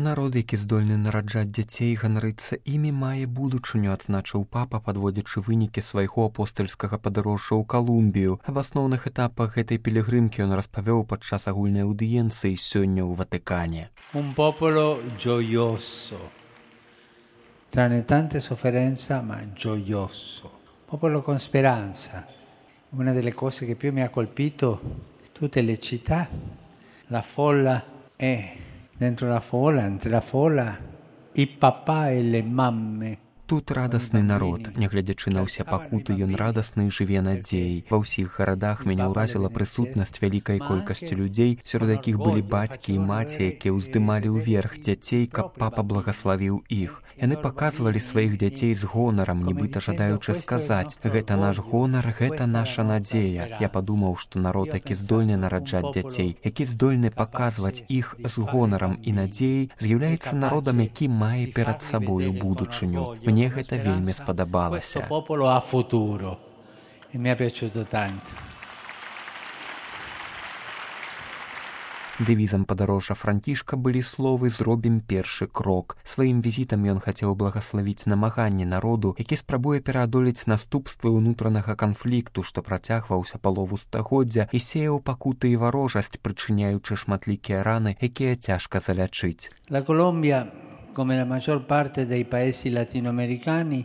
Народ, які здольны нараджаць дзяцей, ганарыцца імі, мае будучыню, адзначыў папа, падводзячы вынікі свайго апостальскага падарожжа ў Калумбію. Аб асноўных этапах гэтай пілігрымкі ён распавёў падчас агульнай аўдыенцыі сёння ў Ватыкане. Un popolo gioioso, tranne tante sofferenza, ma gioioso. Popolo con speranza. Una delle cose che più mi ha colpito, tutte le città, la folla è dentro la folla, entre la folla, i papà e le mamme. Тут радасны народ, нягледзячы на ўсе пакуты, ён радасны і жыве надзеяй. Ва ўсіх гарадах мяне ўразіла прысутнасць вялікай колькасці людзей, сярод якіх былі бацькі і маці, якія ўздымалі ўверх дзяцей, каб папа благаславіў іх. Яны паказвалі сваіх дзяцей з гонарам, нібыта жадаючы сказаць: гэта наш гонар, гэта наша надзея. Я падумаў, што народ, які здольны нараджаць дзяцей, які здольны паказваць іх з гонарам і надзеяй, з'яўляецца народам, які мае перад сабою будучыню. Мне гэта вельмі спадабалася. Дэвізам падарожжа Францішка былі словы «Зробім першы крок». Сваім візітам ён хацеў благаславіць намаганні народу, які спрабуе пераадолець наступствы ўнутранага канфлікту, што працягваўся палову стагоддзя і сеяў пакуты і варожасць, прычыняючы шматлікія раны, якія цяжка залячыць. La Colombia, come la maggior parte dei paesi latinoamericani,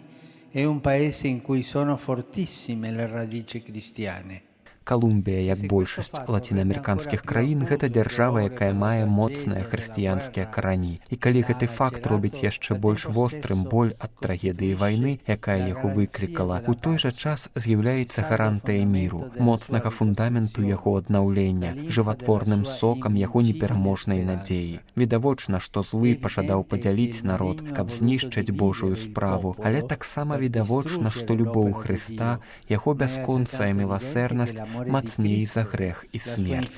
è un paese in cui sono fortissime le radici cristiane. Калумбія, як большасць лацінаамерыканскіх краін, гэта дзяржава, якая мае моцныя хрысціянскія карані. І калі гэты факт робіць яшчэ больш вострым боль ад трагедыі вайны, якая яго выклікала, у той жа час з'яўляецца гарантыя міру, моцнага фундаменту яго аднаўлення, жыватворным сокам яго непераможнай надзеі. Відавочна, што злы пажадаў падзяліць народ, каб знішчыць Божую справу, але таксама відавочна, што любоў Хрыста, яго бясконцая міласэрнасць мацней за грэх і смерць.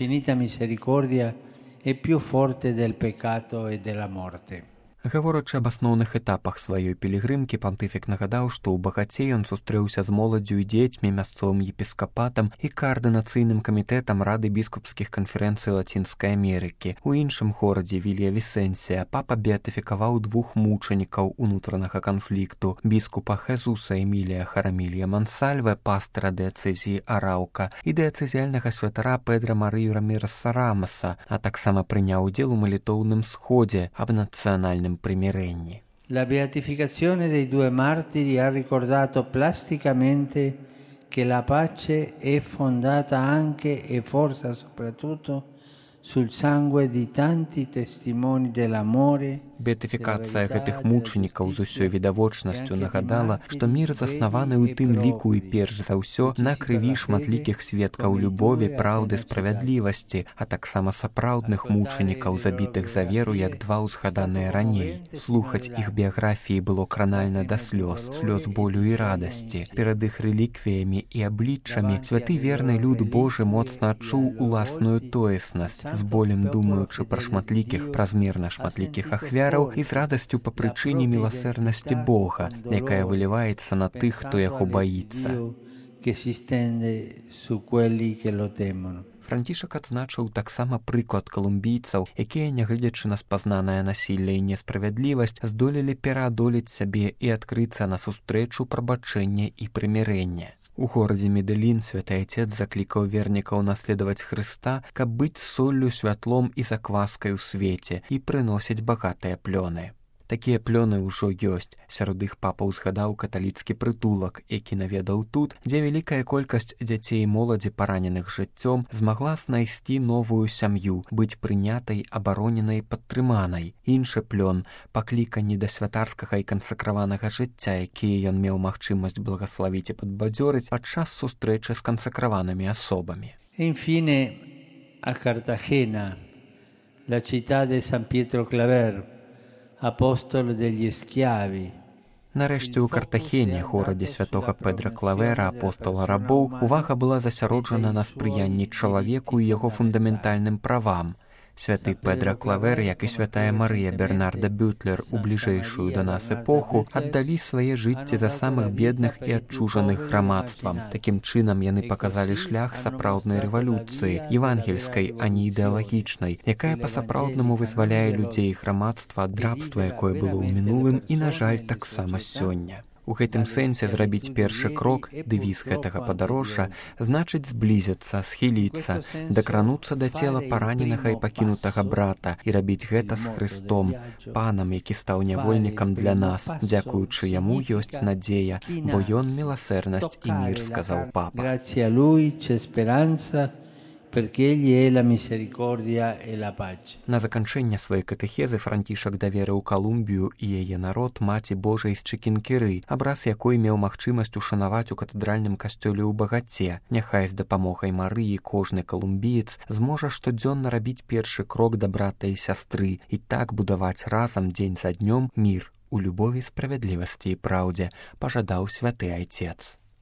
Гаворачы аб асноўных этапах сваёй пілігрымкі, пантыфік нагадаў, што ў Багаце ён сустрэўся з моладдзю і дзецьмі, мясцовым епіскапатам і каардынацыйным камітэтам Рады біскупскіх канферэнцый Лацінскай Амерыкі. У іншым горадзе, Вілья-Вісенсія, папа беатыфікаваў двух мучанікаў унутранага канфлікту: біскупа Хезуса Эмілія Харамілія Мансальве, пастыра дыяцэзіі Араўка, і дыяцэзіяльнага святара Педра Марыю Раміреса Рамаса, а таксама прыняў удзел у малітоўным сходзе аб нацыянальным примиренni. La beatificazione dei due martiri ha ricordato plasticamente che la pace è fondata anche e forse soprattutto sul sangue di tanti testimoni dell'amore. Беатыфікацыя гэтых мучанікаў з усёй відавочнасцю нагадала, што мір заснаваны ў тым ліку і перш за ўсё на крыві шматлікіх сведкаў любові, праўды, справядлівасці, а таксама сапраўдных мучанікаў, забітых за веру, як два ўзгаданыя раней. Слухаць іх біяграфіі было кранальна да слёз, слёз болю і радасці. Перад іх рэліквіямі і абліччамі святы верны люд Божы моцна адчуў уласную тоеснасць, з болем думаючы пра шматлікіх, празмерна шматлікіх ахвяр, і з радасцю па прычыне міласэрнасці Бога, якая выліваецца на тых, хто яго баіцца. Францішак адзначыў таксама прыклад калумбійцаў, якія, нягледзячы на спазнанае насілле і несправядлівасць, здолелі пераадолець сябе і адкрыцца на сустрэчу прабачэння і прымірэння. У горадзе Медэлін святы Айцец заклікаў вернікаў наследаваць Хрыста, каб быць соллю, святлом і закваскай у свеце і прыносіць багатыя плёны. Такія плёны ўжо ёсць. Сярод іх папа ўзгадаў каталіцкі прытулак, які наведаў тут, дзе вялікая колькасць дзяцей і моладзі, параненых жыццём, змагла знайсці новую сям'ю, быць прынятай, абароненай, падтрыманай. Іншы плён – пакліканні да святарскага і кансакраванага жыцця, якія ён меў магчымасць благаславіць і падбадзёрыць падчас сустрэчы з кансакраванымі асобамі. Infine, a Cartagena, la città di San Pietro Claver, апостол degli schiavi. Нарэшце, у Картахене, горадзе святога Педра Клавера, апостала рабоў, увага была засяроджана на спрыянні чалавеку і яго фундаментальным правам. Святы Педра Клавер, як і святая Марыя Бернарда Бютлер у бліжэйшую да нас эпоху, аддалі свае жыцці за самых бедных і адчужаных грамадствам. Такім чынам яны паказалі шлях сапраўднай рэвалюцыі, евангельскай, а не ідэалагічнай, якая па-сапраўднаму вызваляе людзей і грамадства ад рабства, якое было ў мінулым і, на жаль, таксама сёння. У гэтым сэнсе зрабіць першы крок, дэвіз гэтага падарожжа, значыць зблізіцца, схіліцца, дакрануцца да цела параненага і пакінутага брата і рабіць гэта з Хрыстом, панам, які стаў нявольнікам для нас. Дзякуючы яму ёсць надзея, бо ён міласэрнасць і мір, сказаў папа. Perché egli è la misericordia e la pace. На заканчэнне сваёй катэхезы Францішак даверыў Калумбію і яе народ маці Божай з Чыкінкіры, абраз якой меў магчымасць ушанаваць у катэдральным касцёле ў Багаце. Няхай з дапамогай Марыі кожны калумбіец зможа штодзённа рабіць першы крок да брата і сястры і так будаваць разам дзень за днём мір у любові, справядлівасці і праўдзе, пажадаў святы айцец.